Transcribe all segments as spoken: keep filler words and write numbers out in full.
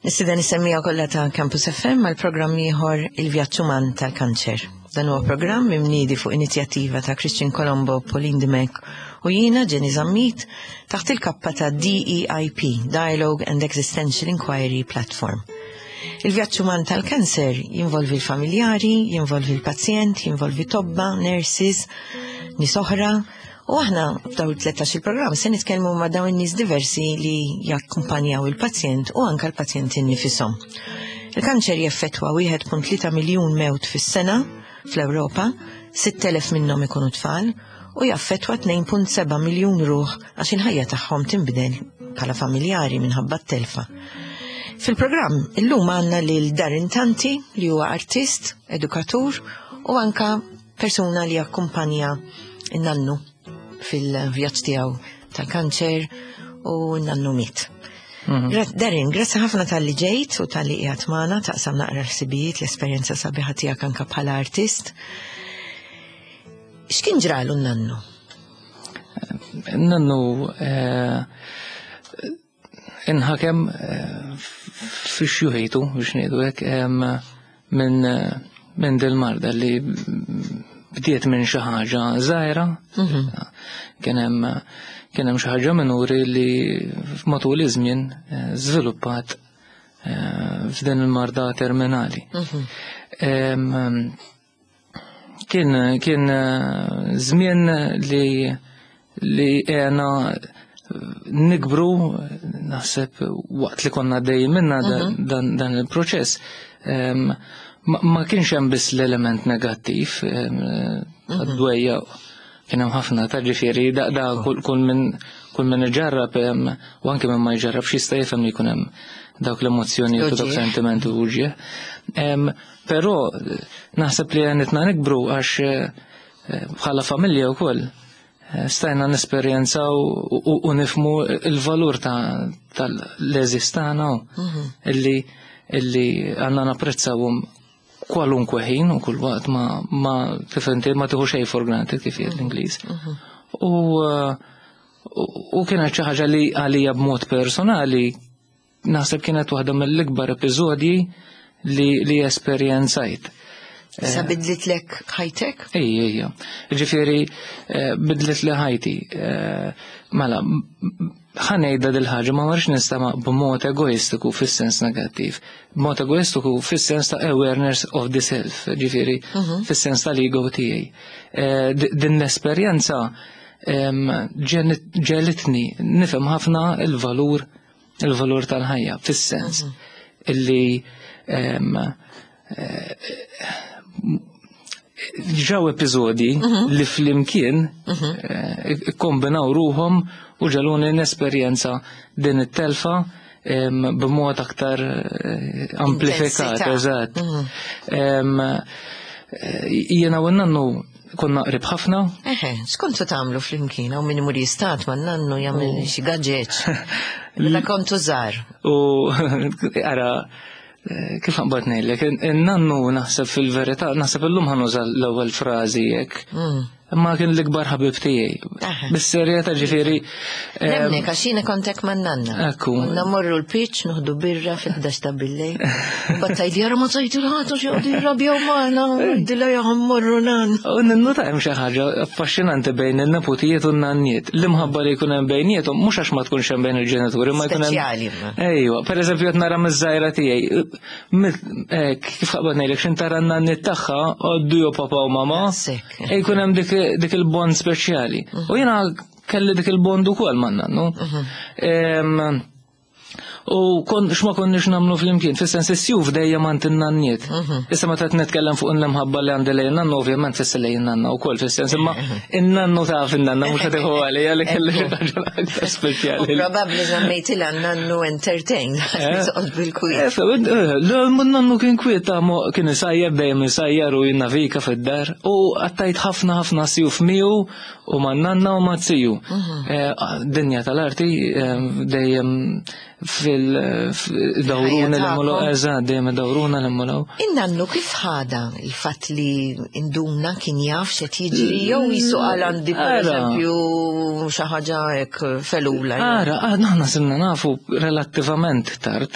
Nistieden lis-semmiegħa kollha ta' Campus F M għal programm ieħor, Il-Vjaġġ Uman tal-Kanċer. Dan huwa programm imniedi fuq inizjattiva ta' Christian Colombo, Pauline Dimech u jiena, Jenny Zammit, taħt il-kappa ta' D E I P, Dialogue and Existential Inquiry Platform. Il-vjaġġ uman tal-kanser jinvolvi l-familjari, jinvolvi l-pazjent, jinvolvi tobba, nurses, nies oħra, u aħna f'daw il-tlettax il-programm se nitkellmu ma' dawn in-nies diversi li jakkumpanjaw il-pazjent u anka l-pazjenti nnifisom. Il-kanċer jeffettwa wieħed punt tlieta miljun mewt fis-sena fl-Ewropa, sitt elef minnhom ikunu tfal, u jaffettwa tnejn punt seba' miljun ruħ għax il-ħajja tagħhom tinbidel bħala familjari minħabba t-telfa. Fil-programm illum għandna lil Darren Tanti, li huwa artist, edukatur u anka persuna li akkumpanja in-nannu fil-vjaġġ tiegħu tal-kanċer u n-nannu miet. Gra- Darren, grazzi ħafna talli ġejt u talli qiegħed magħna taqsam naqra ħsibijiet, l-esperjenza sabiħa tiegħek anka bħala artist. X'kien ġralu n-nannu? Nannu eh, inħakem eh, fi xjuħitu, biex ngħidu hekk, em, minn minn dil-marda li bdiet minn xi ħaġa żgħira. Kien hemm kien hemm xi ħaġa minuri li matul iż-żmien eh, żviluppat eh, f'din il-marda terminali. Em, Kien kien eh, żmien li li għena nikbru, naħseb, waqt li konna dej minna dan, dan il-proċess. Em, Ma, ma kienx hemm biss l-element negattiv, għad-dwejja kien hemm ħafna ta', ġifieri da, da kull, kull min kull min iġarrab em, u anke min ma jġarrab jista' jifhem li jkun hemm dawk l-emozzjoni u dawk Uġigħ. sentimenti u uġigħ. Em, Però naħseb li għenitna nikbru għax eh, bħala familja wkoll eh, stajna nesperjenzaw u, u, u nifhmu il-valur ta' tal-għeżież tagħna u illi illi għandna napprezzawhom kwalunkwe ħin u kull waqt, ma ma kif inti ma tieħu xejn for granted, kif jgħid l-Ingliż. U eh, u u kienet xi ħaġa li għalija b'mod personali naħseb kienet waħda mill-ikbar episodji li li esperjenzajt. Sa bidlitlek ħajtek? Ej, ej, ġifieri, eh, bidlet li ħajti. Eh, Mela, ħa ngħidha dil-ħaġa, ma marx nistama b'mod egoistiku fis-sens negattiv. B'mod egoistiku fis-sens ta' awareness of the self, ġifieri, fis-sens tal-ego tiegħi. Eh, d- Din l-esperjenza em, ġenit- ġelitni nifhem ħafna il-valur il-valur tal-ħajja, fis-sens illi em, ġraw episodi li flimkien eh, kombinaw ruħhom u ġagħluni nesperjenza din it-telfa em, b'mod aktar eh, amplifikat, Intensità. Eżatt. Em, eh, Jiena u nannu konna qrib ħafna. Eħe, x'kontu tagħmlu flimkien, u min imur jistad ma' nannu, jagħmel xi gaġeġ? Meta kontu żgħar. U ara, eh, kif naqbad ngħidlek, in-nannu naħseb fil-verità, naħseb illum ħa nuża l-ewwel frażi hekk. Imma kien l-ikbar ħabib tiegħi. Aha. Bis-serjetà, ġifieri. em, Nemnek, għax jiena kontek ma' nanna. Ekku. Konna morru l-pitch, noħdu birra fil-ħdax ta' billejl. U battajt jara ma tajtu l-ħatu xie rabjaw maħna, dilla jaħom morru nan. U ninnota hemm xi ħaġa affaxxinanti bejn in-neputijiet u n-nanniet. L-imħabba li jkun hemm bejniethom mhux għax ma tkunx hemm bejn il-ġenituri, ma jkun hemm. Speċjali, ma. Ejwa, per eżempju qed nara miż-żgħira tiegħi. Mit- eh, Kif qabad ngħidlek, x'in tara n-nanniet tagħha, għoddu jo papa u mama. Sekk. E jkun hemm dik dik il-bond speċjali. U jiena kelli dik il-bond ukoll man-nannu. Em, U kon, x'ma konniex nagħmlu flimkien, fis-sens is-sjuf dejjem għand in-nanniet. Issa meta qed nitkellem fuq l-imħabba li għandi lejn nannu, ovvjament fisser lejn nanna wkoll, fis-sens, imma in-nannu taf in-nanna mhux qed iħu għalija li kelli xi ħaġa aktar U speċjali. probabli żammejtilha nannu entertain, toqgħod bil-kwiet. Eh, eh, Nannu kien kwiet ta' mo- kien isajjar, dejjem isajjar u jinnavika fid-dar, u għaddejt ħafna ħafna sjuf miegħu u ma' nanna u ma' ziju. Eh, Dinja tal-arti, eh, dejjem Fil-dawruna l-immolaw, eżatt, dejjem dawruna l-immolaw. In-nannu kif ħada il-fatt li induna kien jaf x'qed jiġri jew jisu qal għandi pereżempju xi ħaġa hekk felula. Ara, aħna sirna nafu relattivament tard,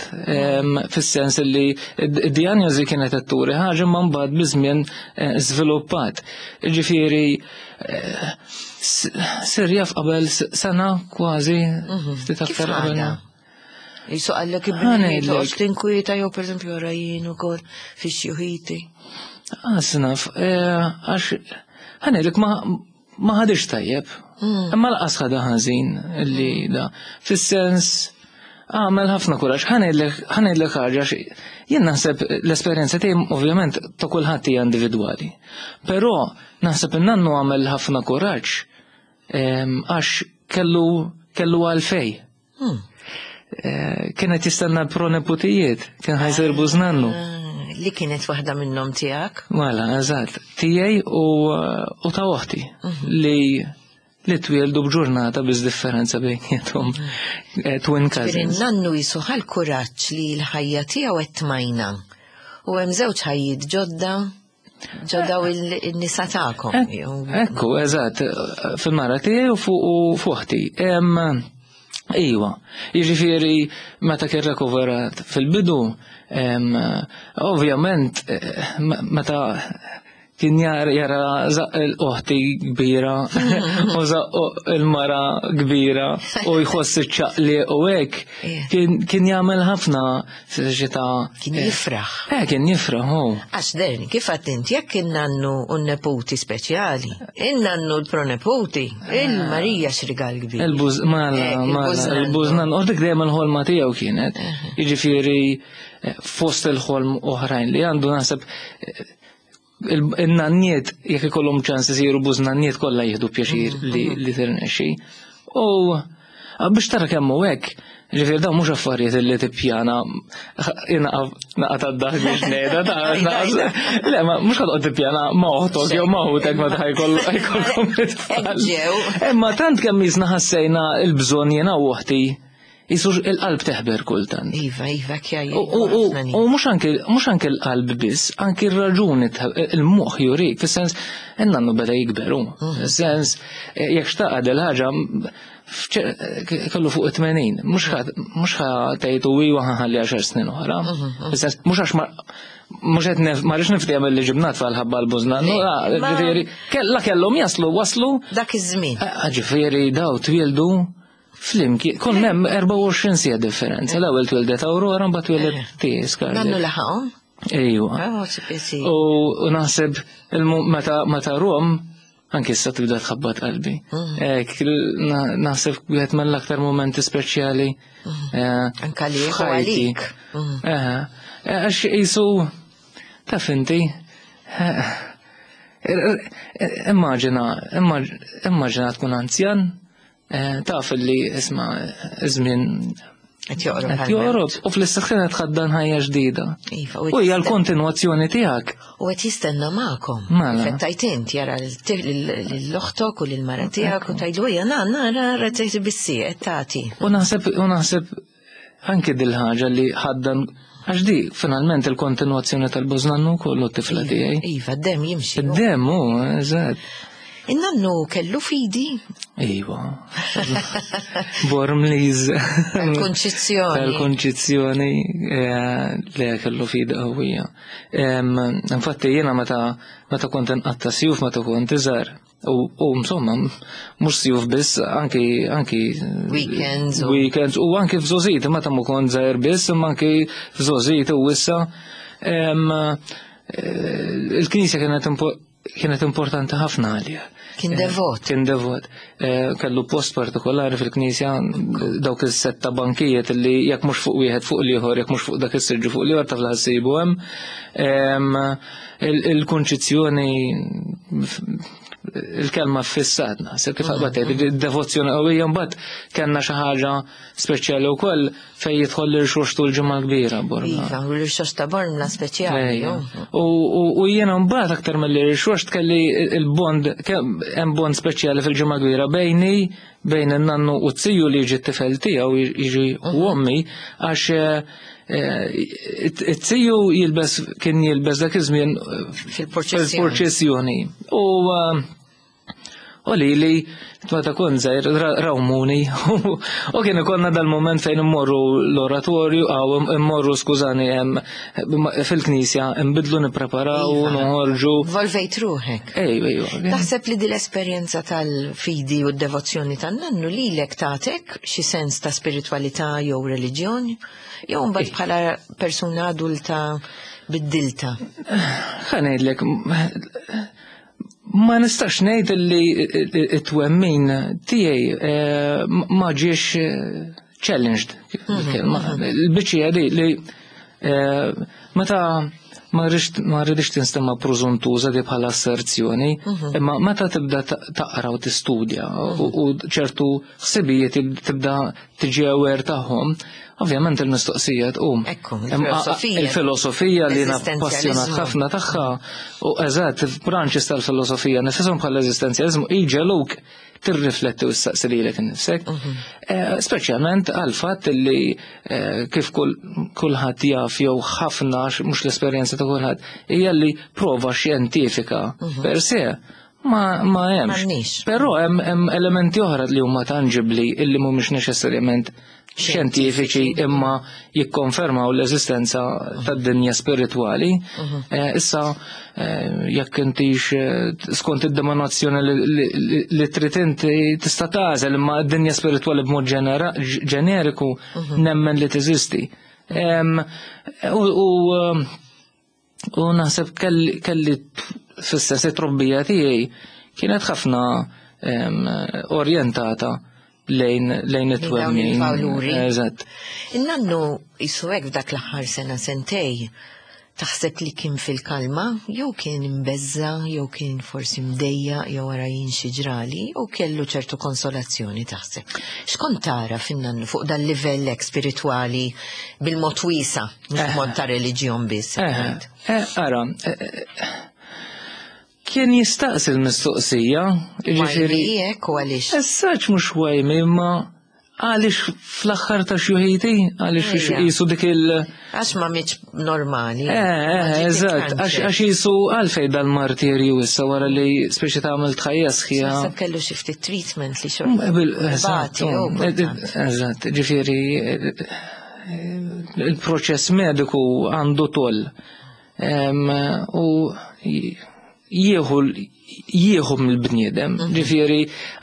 fis-sens li d-dijanjosi kienet qed turi ħaġa ma mbagħad biż-żmien żviluppat. Ġifieri sir jaf qabel sena kważi, ftit aktar qabel. Jisu għallek ibni, toqgħodx tinkwieta jew pereżempju wara jien ukoll fix-xjuħiti. Għasnaf, għax ħanejlek ma ma ħadix tajjeb. Imma laqas ħadha ħażin li da. Fis-sens għamel ħafna kuraġġ. Ħanejlek ħaġa, jien naħseb l-esperjenza tiegħi ovvjament ta' kulħadd hija individwali. Però naħseb in-nannu għamel ħafna kuraġġ għax kellu kellu għalfej. Kienet jistenna l-proneputijiet, kien ħajsir bużnannu. Li kienet waħda minnhom tiegħek? Mela, eżatt, tiegħi u ta' oħti li li twieldu b'ġurnata biss differenza bejniethom, twin cousins. Nannu jisuħal kuraġġ li l-ħajja tiegħu qed tmajna. U hemm żewġ ħajjiet ġodda ġodda u n-nisa tagħkom. Ekku, eżatt, fil-mara tiegħi u fuq oħti. Iwa, jiġifieri meta kien rekuverat fil-bidu, ovvjament meta kien jara l-oħti kbira u żaq il-mara kbira u jħoss iċ-ċaqli u hekk, kien jagħmel ħafna xita. Kien jifraħ. Eh, kien jifraħ, hu. Għax derni, kif għadt int, jekk in-nannu u n-neputi speċjali, in-nannu l-proneputi, il-Marija x'rigal kbir. Il-buż, mela, mela, il-bużnannu, u dik dejjem il-ħolma tiegħu kienet. Jiġifieri fost il-ħolm oħrajn li għandu naħseb il-nanniet jekk ikollhom ċans isiru bużnanniet kollha jieħdu pjaċir li tirnexxi. U biex tara kemm hu hekk, ġifieri dawn mhux affarijiet li tippjana naqa' tad-daħk biex ngħidha, le ma mhux ħa toqgħod tippjana ma' oħtok jew ma' ħutek meta ħajkollkom it-tfal. Imma tant kemm jisna ħassejna l-bżonn jiena u oħti, jisu il-qalb teħber kultant. Iva, iva, kjaj. U mhux anke l-qalb biss, anke r-raġuni, il-moħħ jurik, fis-sens, in-nannu beda jikberu. Fis-sens, jekk xtaqad il-ħaġa, kellu fuq tmenin, mhux ħa tgħidu iwa ħanħalli għaxar snin oħra. Fis-sens, mhux għax mhux qed ma rridx niftehom li ġibna tfal ħabba l-bużnannu, ġifieri, la kellhom jaslu, waslu. Dak iż-żmien. Ġifieri daw twieldu flimkien, kon hemm erbgħa u għoxrin siegħa differenza. L-ewwel twildet Aurora, mbagħad twildet tiegħi Scarlett. Nannu laħaqhom? Ejwa. U naħseb meta rom, anke issa tibda tħabbat qalbi. Naħseb wieħed mill-aktar momenti speċjali. Anke għalik u għalik. Għax qisu taf inti. Immaġina, immaġina tkun anzjan, taf li isma' żmien qed joqrob. Qed joqrob u fl-istess ħin qed tħaddan ħajja ġdida. U hija l-kontinwazzjoni tiegħek. U qed jistenna magħkom. Fettajt int jara l-oħtok u lill-mara tiegħek u tgħidlu ejja nanna nara tgħid bissi qed tagħti. U naħseb u naħseb anke dil-ħaġa li ħaddan għax di finalment il-kontinwazzjoni tal-bużnannu kollu t-tifla tiegħi. Iva, d-demm jimxi. Id-demm hu, eżatt. In-nannu kellu fidi? Iva. Bormliż. Tal-konċizzjoni. Tal-konċizzjoni li kellu fidi qawwija. Infatti jiena meta meta kont inqatta' sjuf meta kont iżgħar, u insomma mhux sjuf biss, anki anki weekends weekends u anki f'żożiti meta ma kont żgħir biss, imma anki f'żożiti u issa il-knisja kienet kienet importanti ħafna għalija. Kien devot. Kien devot. Kellu post partikolari fil-knisja, dawk is-setta bankijiet li jekk mhux fuq wieħed fuq l-ieħor, jekk mhux fuq dak is-siġġu fuq l-ieħor taf ħassibu hemm. Il-konċizzjoni, il-kelma fissat naħseb kif qabad tgħid, id-devozzjoni qawwija mbagħad kellna xi ħaġa speċjali wkoll fejn jidħol l-irxoxt u l-ġimgħa kbira Bormla. Iva, u l-irxoxt ta' Bormla speċjali. U jiena mbagħad aktar mill-irxoxt kelli il-bond, hemm bond speċjali fil-ġimgħa kbira bejni, bejn in-nannu u t-tiju li jiġi t-tifel tiegħu jiġi u ommi għax it-tiju jilbes kien jilbes dak iż-żmien fil-purċissjoni. U u li li meta kont żgħir rawmuni u kien ikollna dal-moment fejn immorru l-oratorju aw immorru skużani fil-knisja nbidlu nippreparaw Iva. noħorġu. Volvejt ruħek. Ejwa, ejwa. Taħseb li di l-esperjenza tal-fidi u d-devozzjoni tan-nannu lilek tatek xi sens ta' spiritualità jew reliġjon? Jew mbagħad bħala persuna adulta biddilta? Ħa ngħidlek, ma nistax ngħid li it-twemmin tiegħi eh, ma ġiex eh, challenged. Il-kelma. Il-biċċija di li eh, meta ma rridx ma rridx tinstema preżuntuża di bħala asserzjoni, imma meta tibda ta- taqra u tistudja u u ċertu ħsibijiet tibda tiġi aware tagħhom, ovvjament il-mistoqsija tqum. Ekku, Imma il-filosofija. Il-filosofija li jiena L-eżistenzjalizmu. passjonat ħafna tagħha u eżatt branches tal-filosofija nifisom bħal eżistenzjalizmu iġegħluk tirrifletti u ssaqsi lilek innifsek. Eh, Speċjalment għal fatt li eh, kif kull kulħadd jaf jew ħafna għax mhux l-esperjenza ta' kulħadd hija li prova xjentifika per se ma ma hemmx. M'għandniex. Però hemm hemm elementi oħra li huma tangibbli illi mhumiex neċessarjament xjentifiċi imma jikkonfermaw l-eżistenza tad-dinja spiritwali. Eh, Issa eh, jekk intix eh, skont id-denominazzjoni li- li- li- li trid inti tista' tagħżel imma d-dinja spiritwali b'mod ġenera- ġeneriku nemmen li teżisti. Em, U u, u naħseb kelli kelli fis-sens it-trobbija tiegħi kienet ħafna em, orjentata lejn lejn dawn it-twemmin. il-valuri. Eżatt. In-nannu jisu hekk f'dak l-aħħar sena sentej, taħseb li kien fil-kalma, jew kien imbeżza, jew kien forsi mdejja, jew wara jien xi ġrali, u kellu ċertu konsolazzjoni taħseb. X'kont tara fin-nannu fuq dal livell hekk spiritwali bil-mod wiesa, mhux mod ta' reliġjon biss. Eh, eh, ara, eh, eh, kien jistaqsi l-mistoqsija, jiġifieri Why hekk u għaliex? Essaċ mhux why me, imma għaliex fl-aħħar ta' xjuħiti, għaliex Ejja. jisu dik il- Għax ma mietx normali. Eh, eh, eżatt, għax għax jisu għalfej dal-martirju issa wara li speċi ta' għamilt ħajja sħiħa. Naħseb kellu xi ftit treatment li xorta. Mm, bil- Eżatt, Bati, jew mm, kultant. eżatt, ġifieri eh, eh, il-proċess mediku għandu toll. Em, U jieħu jieħu mill-bniedem, ġifieri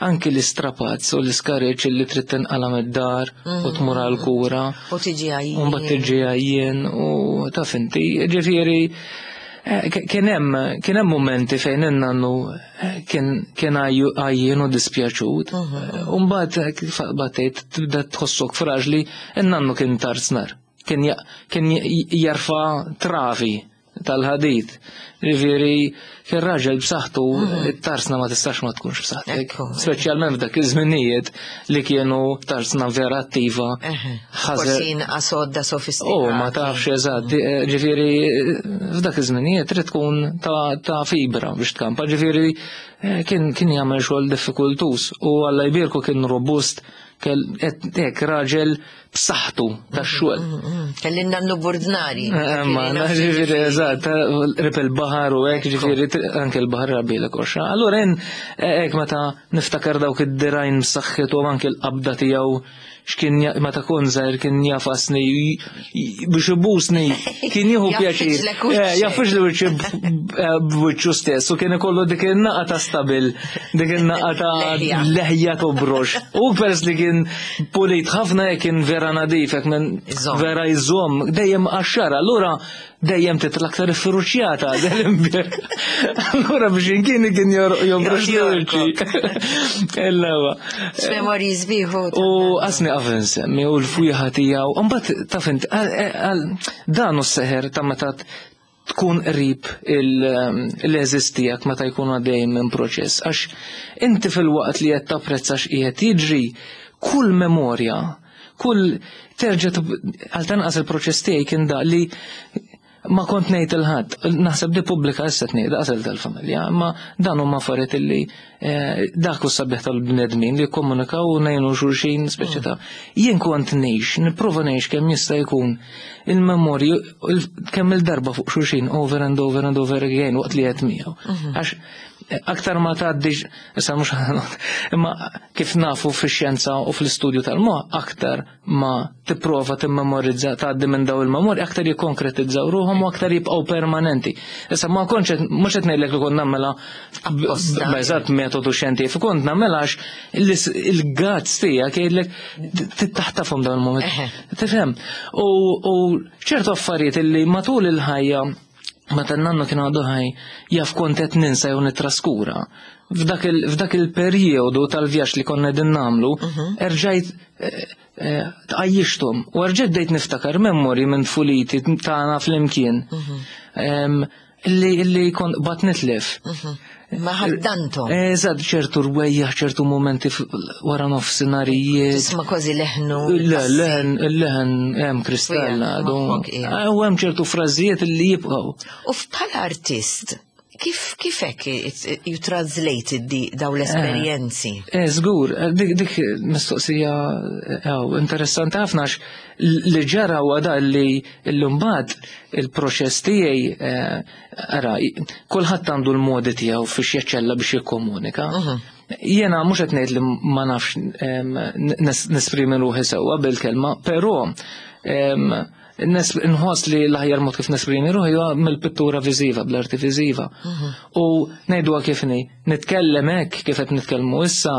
anki l-istrapazz u l-iskareċ li trid tinqala mid-dar u tmur għal-kura. U tiġi għajjien. U mbagħad tiġi għajjien u taf inti, ġifieri eh, k- kien hemm kien hemm momenti fejn in-nannu eh, kien kien għajju- għajjien u dispjaċut. Eh, U mbagħad eh, kif batejt tibda tħossok fraġli, in-nannu kien tarznar. Kien ja- kien j- jarfa travi tal-ħadid. Ġifieri kien raġel b'saħħtu, it-tarsna ma tistax ma tkunx b'saħħtek. Ekku. Speċjalment f'dak iż-żminijiet li kienu tarsna vera attiva. Eħe. Ħażer- Forsi inqas għodda sofistikata. Oh, ma tafx eżatt, eh, ġifieri f'dak iż-żminijiet trid tkun ta' ta' fibra biex tkampa, ġifieri eh, kien kien jagħmel xogħol diffikultuż u Alla jbierku kien robust, kell hekk raġel b'saħħtu tax-xogħol. Kelli nannu burdnari. Eh, Ma, ġifieri eżatt, rip il-baħar u hekk, ġifieri anke l-baħar rabilek oxra. Allura jien hekk meta niftakar dawk id-dirajn b'saħħtu u anke l-qabda tiegħu x'kien ja- meta kont żgħir kien jafasni j- j- biex ibusni kien jieħu pjaċir. Jaffiġlek wiċċek. Eh, Jaffiġli wiċċi b'wiċċu stess u kien ikollu dik in-naqa ta' stabil, dik in-naqa ta' Leħja. leħja tobrox. U pers li kien pulit ħafna jekk kien vera nadif, jekk minn Iżomm. vera jżomm, dejjem għaxxara, allura dejjem titla' aktar iffiruċjata dal-imbir. Allura biex inkien kien jobrox li wiċċi. Illa X'memorji sbieħu. U għasni għaf nsemmi u l-fwieħa tiegħu, u mbagħad taf int, għal- għal- dan hu s-seħer ta' meta tkun qrib l-għeżież tiegħek meta jkun għaddej minn proċess. Għax inti fil-waqt li qed tapprezza x'qiegħed jiġri, kull memorja, kull terġa' tib- għal tanqas il-proċess tiegħi kien da li Ma kont ngħid lil ħadd, naħseb di pubblika issa tnejn, daqsel tal-familja, ma dan huma affarijiet illi eh, dak hu sabiħ tal-bnedmin li jikkomunikaw u ngħinu xulxin, speċi ta' jien kont ngħix, nipprova ngħix kemm jista' jkun il-memorji kemm il-darba fuq xulxin, over and over and over again, waqt li qed miegħu. Għax eh, aktar ma tgħaddix, issa mhux, imma kif nafu fix-xjenza u fl-istudju tal-moħħ, aktar ma tipprova timmemorizza, tgħaddi minn daw il-memorji, aktar jikkonkretizzaw ruħhom u aktar jibqgħu permanenti. Issa ma kontx qed- mhux qed ngħidlek li kont nagħmilha Apposta. b'eżatt metodu xjentifiku, kont nagħmilha għax il-guts tiegħek jgħidlek tittaħtafhom dawn il-momenti. Eħe. Tifhem? U u ċertu affarijiet illi matul il-ħajja, meta n-nannu kien għadu ħaj, jaf kont qed ninsa jew nitraskura. F'dak il- f'dak il-perjodu tal-vjaġġ li konna qegħdin nagħmlu, erġajt eh, eh, tqajjixthom u erġajt bdejt niftakar memorji minn tfuliti tagħna flimkien. Em, Illi illi kont bat nitlef. Ma ħaddantom. Eżatt, ċertu rwejjaħ, ċertu momenti f- wara nofsinharijiet. Tisma' kważi leħnu. Le, leħen, il-leħen hemm kristalla għadu. Moħħok, ija. U hemm ċertu frażijiet li jibqgħu. U bħala artist, kif kif hekk it- you translated di daw l-esperjenzi? Eh, żgur, eh, dik, dik mistoqsija eh, interessanti ħafna, għax li ġara huwa da li l-mbagħad il-proċess tiegħi, eh, ara, kulħadd għandu l-modi tiegħu fiex jaċċella biex jikkomunika. Jiena mhux qed ngħid li ma nafx em, nes- nesprimi ruħi sewwa bil-kelma, però em, nes- nħoss li l-aħjar mod kif nesprimi ruħi huwa mill-pittura viżiva, bl-arti viżiva. U ngħiduha kif inhi, nitkellem hekk kif qed nitkellmu issa,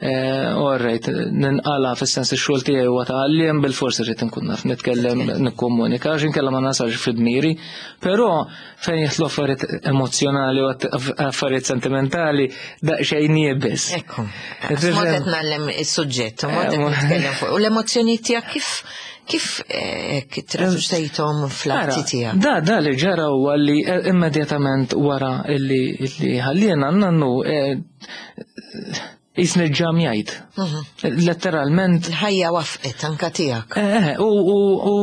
eh, alright, ninqala fis-sens ix-xogħol tiegħi huwa ta' għalliem, bil-forsi rrid inkun naf nitkellem, nikkomunika, għax inkella ma nasalx fid-miri, però fejn jidħlu affarijiet emozjonali u affarijiet sentimentali daqsxejn iebes. Ekku. Mod qed ngħallem is-suġġett, mod qed nitkellem fuq. U l-emozzjoni tiegħek kif kif eh, traduċejthom fl-arti tiegħek? Da, da li ġara huwa li eh, immedjatament wara illi illi ħallina nannu, eh, jisni ġamjajt. Letteralment. Il-ħajja wafqet anka tiegħek. Eh, u u u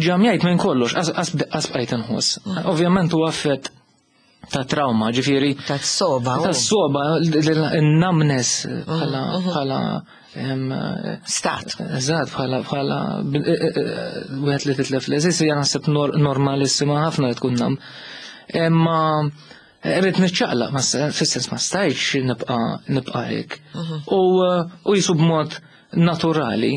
ġamjajt minn kollox, qas bqajt inħoss. Ovvjament huwa affett ta' trauma, ġifieri. Ta' soba. Ta' soba, n-numbness bħala bħala em, Stat. Eżatt, bħala bħala wieħed li titlef l-eżis hija naħseb nor- normalissima ħafna li tkun numb. Imma rrid niċċaqlaq, ma s- fis-sens ma stajtx nibqa' nibqa' hekk. U u jisu b'mod naturali,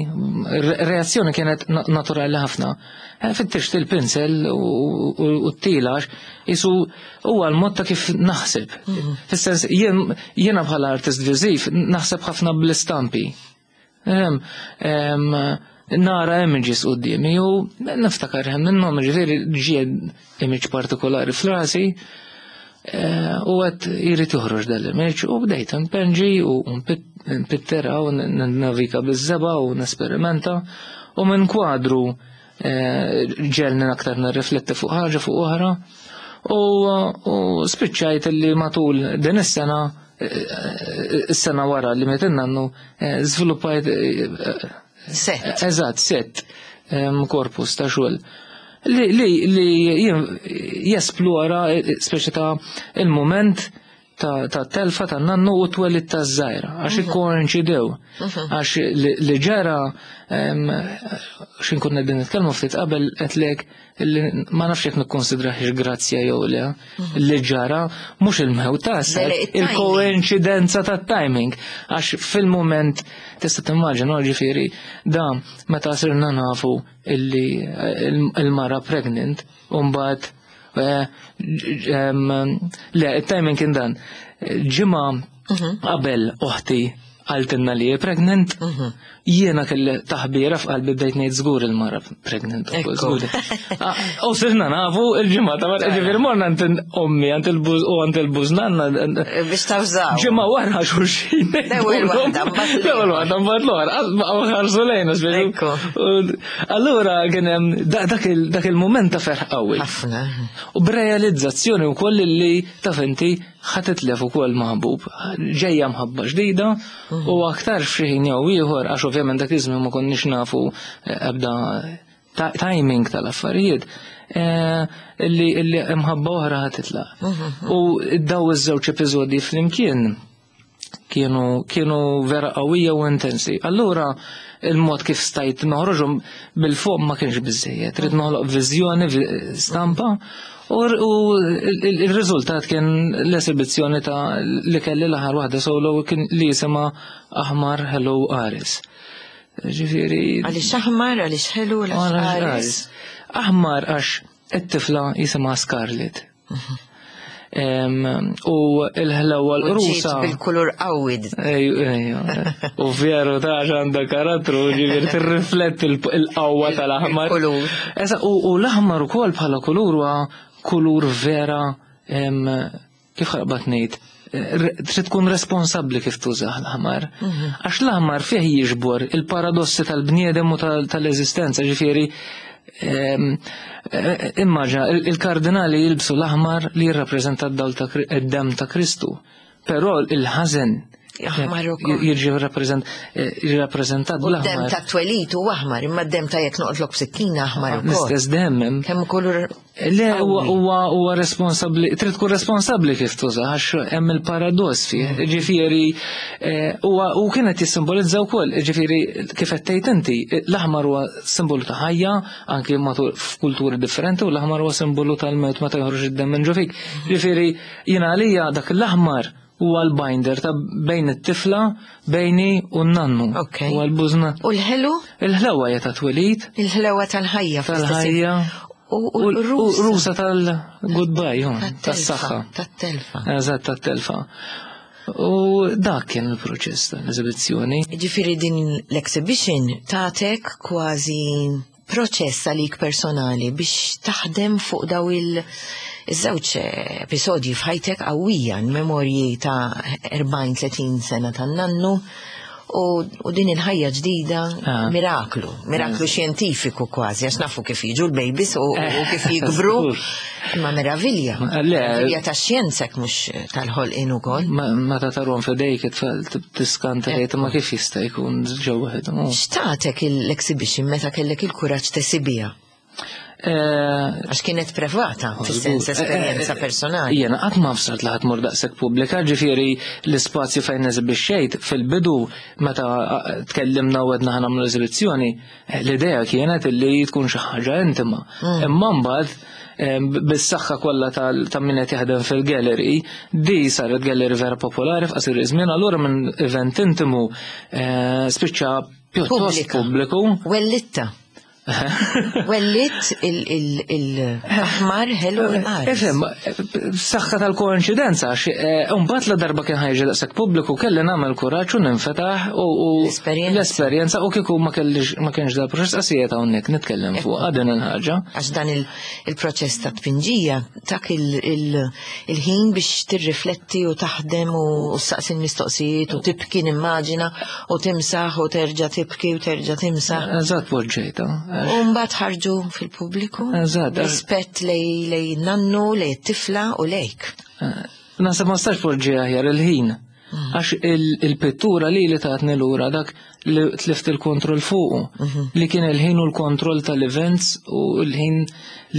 re- reazzjoni kienet na- naturali ħafna. Eh, Fittixt il-pinsel u u t-tilax, jisu huwa l-mod ta' kif naħseb. Fis-sens jien jiena bħala artist viżiv naħseb ħafna bl-istampi. Em, em, nara images qudiemi u niftakar hemm minnhom, ġifieri ġie image partikolari f'rasi eh, u għedt jrid joħroġ dal-image, u bdejt npenġi u npittera u navika biż-żebgħa u nesperimenta, u minn kwadru eh, ġelni aktar nirrifletti fuq ħaġa fuq oħra, u, u spiċċajt li matul din is-sena, eh, is-sena wara li miet in-nannu, eh, żviluppajt eh, Set. Eżatt, set em, korpus ta' xogħol li li li jien- jesplora eh, speċi ta' il-moment ta' ta' telfa ta' nannu u twelid ta' żgħira, għax ikkoinċidew. Għax li li ġara, em, xin konna qegħdin nitkellmu ftit qabel, qedlek li ma nafx jekk nikkonsidrahiex grazzja jew le, li ġara mhux il-mewt ta' Le, le, it-timing. il-koinċidenza ta' timing, għax fil-moment tista' timmaġina, ġifieri da meta sirna nafu illi eh, il- il-mara pregnant u mbagħad eh, em, le, il-timing kien dan. Ġimgħa qabel oħti qaltilna li hi pregnant, jiena kelli taħbira f'qalbi, bdejt ngħid żgur il-mara pregnant ukoll, Ekku. żgur. Ah, u sirna nafu il-ġimgħa ta' wara, ġifieri morna għand ommi, għand il-buż u għand il-bużnanna. Biex tawżaw. Ġimgħa wara xulxin. L-ewwel waħda, mbagħad L-ewwel waħda, mbagħad l-oħra, baqgħu ħarsu lejna, speċi. Ekku. U allura kien hemm da- dak il- dak il-mument ta' ferħ qawwi. Ħafna. U b'realizzazzjoni wkoll li taf inti ħa titlef ukoll maħbub, ġejja mħabba ġdida, u aktar f'xi ħin jew ieħor, għax ovvjament dak iż-żmien ma konniex nafu eh, ebda timing tal-affarijiet eh, illi illi imħabba oħra ħa titlaq. U daw iż-żewġ episodji flimkien kienu kienu vera qawwija u intensi. Allura il-mod kif stajt noħroġhom bil-fuq ma kienx biżejjed. Trid noħloq viżjoni, vi- stampa u u il-riżultat kien l-esibizzjoni ta' li kelli l-aħħar waħda solo, kien li jisimha Aħmar Ħelu Qares. Ġifieri Għaliex aħmar, għaliex ħelu, għaliex qares? Aħmar għax it-tifla jisimha Scarlett. Em, U il-ħlewa U ġiet l-qrusa. bil-kulur qawwi. Ejju, ejju. U veru ta' għandha karattru, ġifieri tirrifletti il-qawwa tal-aħmar. Il-kulur. Esa, u u l-aħmar ukoll bħala kulur huwa kulur vera, em, kif ħarbat ngħid, eh, trid tkun responsabbli kif tużah l-aħmar. Għax l-aħmar fih jiġbor il-paradossi tal-bniedem u tal- tal-eżistenza, ġifieri em, eh, immaġina, il- il-kardinali jilbsu l-aħmar li jirrappreżenta d-dawl ta' Kri- id-dem ta' Kristu. Però il-ħażen Aħmar ukoll. jiġi rappreżent- eh, jirrappreżentat U d-dem bl-aħmar. ta' twelit u aħmar, imma d-dem ta' jekk noqtlok b'sikkina aħmar ukoll. L-istess dem hemm. Kemm kulur Le, huwa huwa huwa responsabbli, trid tkun responsabbli kif tuża, għax hemm il-paradoss fih. Ġifieri eh, huwa u kienet jissimbolizza wkoll, ġifieri kif qed tgħid inti, l-aħmar huwa simbolu ta' ħajja anke matul f'kulturi differenti u l-aħmar huwa simbolu tal-mewt meta joħroġ id-demm minn ġo fik. Ġifieri jiena għalija dak l-aħmar huwa l-binder ta' bejn it-tifla, bejni u n-nannu. Ok. Huwa l-bużna. U l-ħelu? Il-ħlewa hija ta' twelid, Il-ħlewa tal-ħajja fl-istess tal-ħajja. U U u l-rusa. rusa tal-goodbye, hu, tas-saħħa. Tat-telfa. Eżatt, tat-telfa. U dak kien il-proċess tal-eżibizzjoni. Ġifieri din l-exhibition tatek kważi proċess għalik personali biex taħdem fuq daw il- iż-żewġ episodji f'ħajtek qawwija, memorji ta' erbgħin tletin sena tan-nannu u, u din il-ħajja ġdida, Ah. miraklu, miraklu xjentifiku kważi, għax nafu kif jiġu l-babies u, u kif jikbru, imma meravilja, Le. meravilja ta' xjenzek mhux tal-ħolqien ukoll. Ma meta tarhom f'idejk it-tfal tiskanta, tgħid ma kif jista' jkun ġew waħedhom. X'tatek l-exhibition meta kellek il-kuraġġ tesibiha? Eh, Għax kienet privata, fis-sens esperjenza personali. Jena qatt ma fsart li ħa tmur daqshekk pubblika, ġifieri l-ispazju fejn eżibixxejt fil-bidu, meta eh, tkellimna u għedna ħa nagħmlu eżibizzjoni, eh, l-idea kienet li tkun xi ħaġa intima. Imma mbagħad eh, bis-saħħa kollha tal- ta' min qed jaħdem fil-gallery, di saret gallery vera popolari f'qasir żmien, allura minn event intimu eh, spiċċa pjuttost Pubblika. pubbliku. Wellitta. Wellit il-aħmar ħelu l-qares. Ifhem, saħħa tal-koinċidenza, għax mbagħad la darba kien ħa jiġi daqshekk pubbliku kelli nagħmel kuraġġ u ninfetaħ u u L-esperjenza. l-esperjenza u kieku ma kellix ma kienx dal proċess qasijiet hawnhekk nitkellem fuq din il-ħaġa. Għax dan il- il-proċess ta' tpinġija tak il- il- il-ħin biex tirrifletti u taħdem u u saqsi l-mistoqsijiet u tibki, nimmaġina, u timsaħ u terġa' tibki u terġa' timsaħ. Eżatt, poġġejta. U mbagħad ħarġu fil-pubbliku. Eżatt. Rispett lej lej nannu, lej tifla u lejk. Naħseb ma stax poġġi aħjar il-ħin. Għax il- il-pittura li li tatni lura dak li tlift il-kontroll fuqu. Li kien il-ħin u l-kontroll tal-events u l-ħin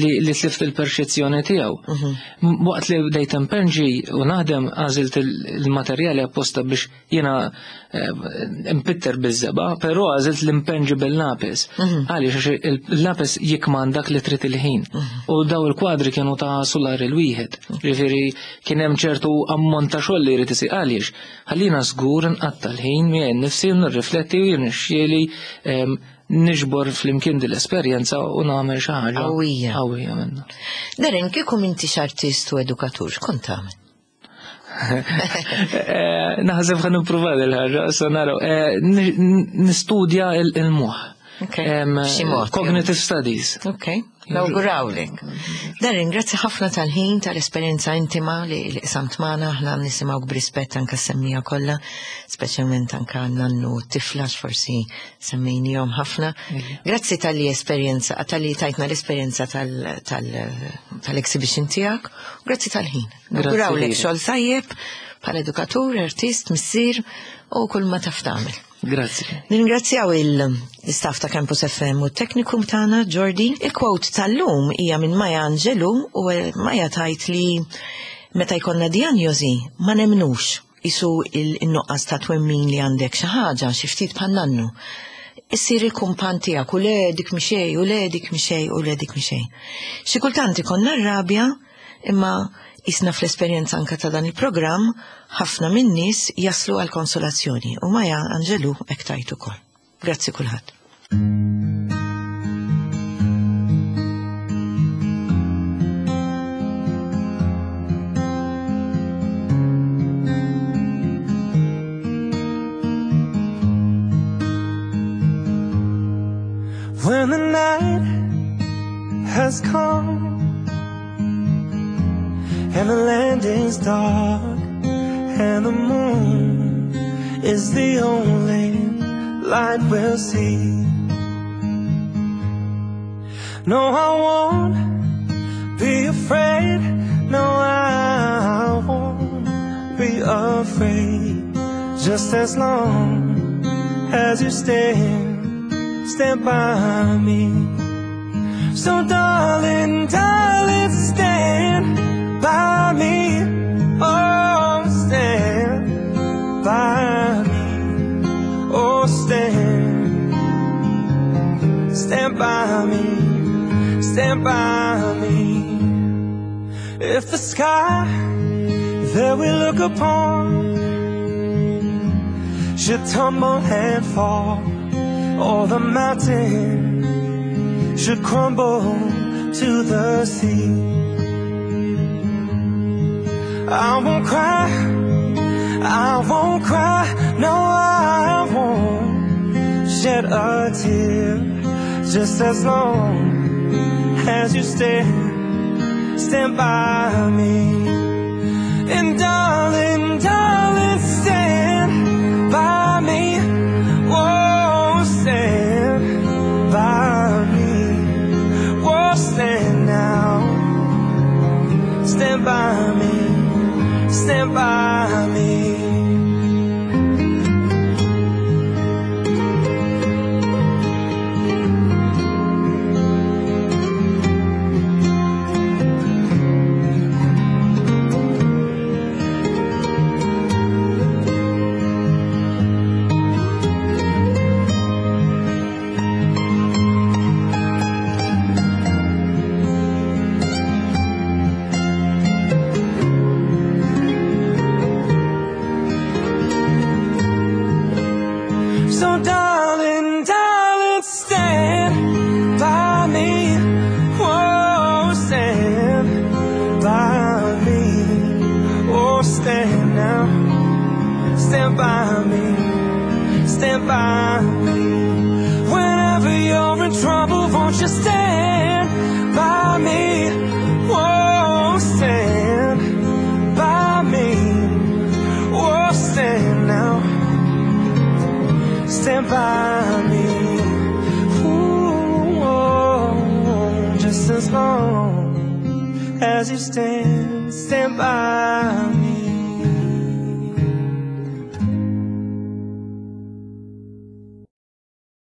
li, li tlift il-perċezzjoni tiegħu. M- Waqt li bdejt impenġi u naħdem, għażilt il- il-materjali apposta biex jiena eh, impitter biż-żebgħa, però għażilt l-impenġi bil-lapis. Għaliex? Għax il-lapis jikmandak li trid il-ħin. U daw il-kwadri kienu ta' sular il-wieħed. Ġifieri kien hemm ċertu ammont ta' xogħol li jrid isir. Għaliex? Ħallina żgur nqatta l-ħin miegħi nnifsi u nirrifletti u jirnexxieli em, niġbor flimkien din l-esperjenza u nagħmel xi ħaġa Qawwija. Qawwija minnha. Darren, kieku m'intix artist u edukatur, x'kont tagħmel? Eh, Naħseb ħa nipprova il-ħaġa, issa naraw. Eh, ni- Nistudja il- il-moħħ. Ok, Em, b'xi mod, Cognitive studies. Ok, nawgurawlek. Darren, grazzi ħafna tal-ħin, tal-esperjenza intima li li qsamt magħna, aħna nisimgħu b'rispett anka semmija kollha, speċjalment anka nannu u tifla, forsi semmejnihom ħafna. Grazzi tal-li esperjenza, tal-li tajtna l-esperjenza tal- tal- tal-exhibition tiegħek, u grazzi tal-ħin. Grazzi Nawgurawlek lilek. xogħol tajjeb bħala edukatur, artist, missier u kull ma taf tagħmel. Grazzi. Nirringrazzjaw il-Sinjura L-istaff ta' Campus F M u t-teknikum tagħna Jordi. Il-quote tal-lum hija minn Maya Angelou u Maya tajt li meta jkollna diagnosi ma nemnux isu il-nuqqas ta' twemmin li għandek xi ħaġa xi ftit bħal nannu. Issir il-kumpan tiegħek u le dik mixej u le dik mixej u le dik mixej. Xi kultant ikollna r-rabja imma isna fl-esperjenza anka ta' dan il-programm ħafna min-nies jaslu għal konsolazzjoni u Maya Angelou hekk tajt ukoll. Grazzi kulħadd. When the night has come and the land is dark and the moon is the only light we'll see. No, I won't be afraid. No, I won't be afraid. Just as long as you stand, stand by me. So darling, darling, stand by me. Oh, stand by me. Oh, stand, stand by me. Stand by me. If the sky that we look upon should tumble and fall, or the mountain should crumble to the sea, I won't cry, I won't cry, no, I won't shed a tear. Just as long as you stand, stand by me. And darling, darling, stand by me. Oh, stand by me. Oh, stand now. Stand by me. Stand by me. So darling, darling, stand by me. Oh, stand by me. Oh, stand now. Stand by me. Stand by me. Whenever you're in trouble, won't you stand by me? Oh, stand by me. Oh, stand now. Stand by me. Ooh, oh, just as long as you stand, stand by me.